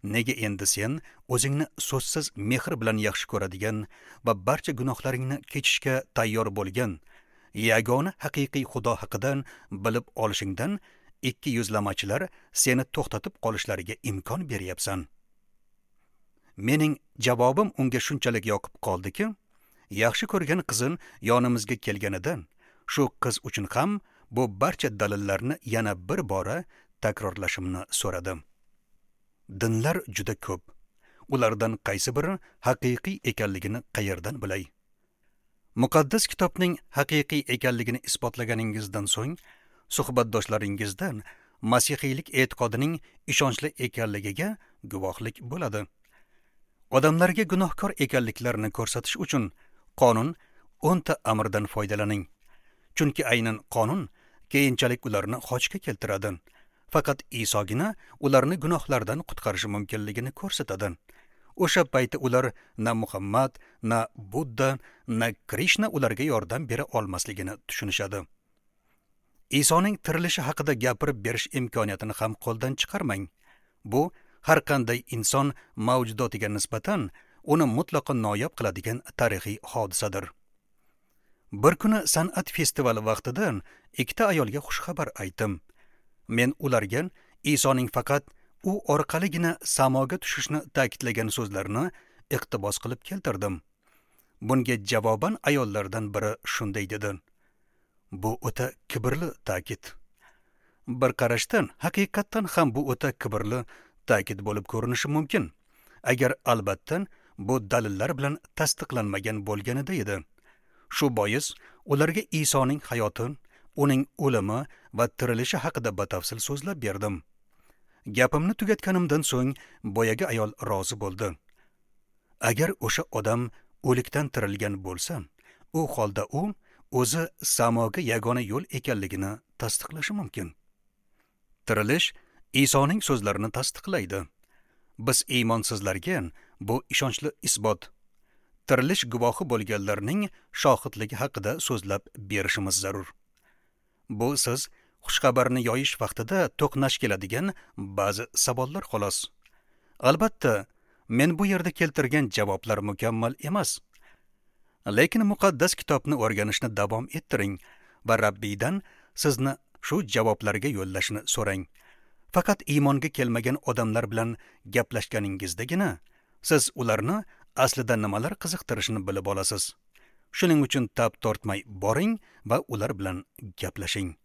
Nega endi sen o'zingni so'zsiz mehr bilan yaxshi ko'radigan va barcha gunohlaringni kechishga tayyor bo'lgan yagona haqiqiy Xudo haqidan bilib olishingdan ikki yuzlamachilar seni to'xtatib qolishlariga imkon beryapsan? Mening javobim unga shunchalik yoqib qoldiki, yaxshi ko'rgan qizim yonimizga kelganidan shu qiz uchun ham bu barcha dalillarni yana bir bora takrorlashimni so'radim. Dinlar juda ko'p. Ulardan qaysi biri haqiqiy ekanligini qayerdan bilay? Muqaddas kitobning haqiqiy ekanligini isbotlaganingizdan so'ng, suhbatdoshlaringizdan masihiylik e'tiqodining ishonchli ekanligiga guvohlik bo'ladi. Odamlarga gunohkor ekanliklarini ko'rsatish uchun qonun 10 ta amrdan foydalaning. Chunki aynan qonun keyinchalik ularni xochga keltiradi. Faqat Isogina ularni gunohlardan qutqarishi mumkinligini ko'rsatadi. O'sha payti ular na Muhammad, na Budda, na Krishna ularga yordam bera olmasligini tushunishadi. Isoning tirilishi haqida gapirib berish imkoniyatini ham qo'ldan chiqarmang. Bu har qanday inson mavjudotiga nisbatan uni mutlaqo noyob qiladigan tarixiy hodisadir. Bir kuni san'at festivali vaqtida ikkita ayolga xushxabar aytdim. Men ularga Isoning faqat u orqaligina samoga tushishni ta'kidlagan so'zlarini iqtibos qilib keltirdim. Bunga javoban ayollardan biri shunday dedi: bu o'ta kibrli ta'kid. Bir qarashdan haqiqatdan ham bu o'ta kibrli ta'kid bo'lib ko'rinishi mumkin, agar albatta bu dalillar bilan tasdiqlanmagan bo'lganida edi. Shu bois ularga Isoning hayoti, uning o'limi va tirilishi haqida batafsil so'zlab berdim. Gapimni tugatganimdan so'ng boyagi ayol rozi bo'ldi. Agar o'sha odam o'likdan tirilgan bo'lsa, u holda u o'zi samoga yagona yo'l ekanligini tasdiqlashi mumkin. Tirilish Isoning so'zlarini tasdiqlaydi. Biz iymonsizlarga bu ishonchli isbot. Tirilish guvohi bo'lganlarning shohidligi haqida so'zlab berishimiz zarur. Bu siz xushxabarni yoyish vaqtida to'qnash keladigan ba'zi savollar xolos. Albatta, men bu yerda keltirgan javoblar mukammal emas. Lekin muqaddas kitobni o'rganishni davom ettiring va Rabbiydan sizni shu javoblarga yo'llashni so'rang. Faqat iymonga kelmagan odamlar bilan gaplashganingizdagina siz ularni aslida nimalar qiziqtirishini bilib olasiz. Shuning uchun tab tortmay boring va ular bilan gaplashing.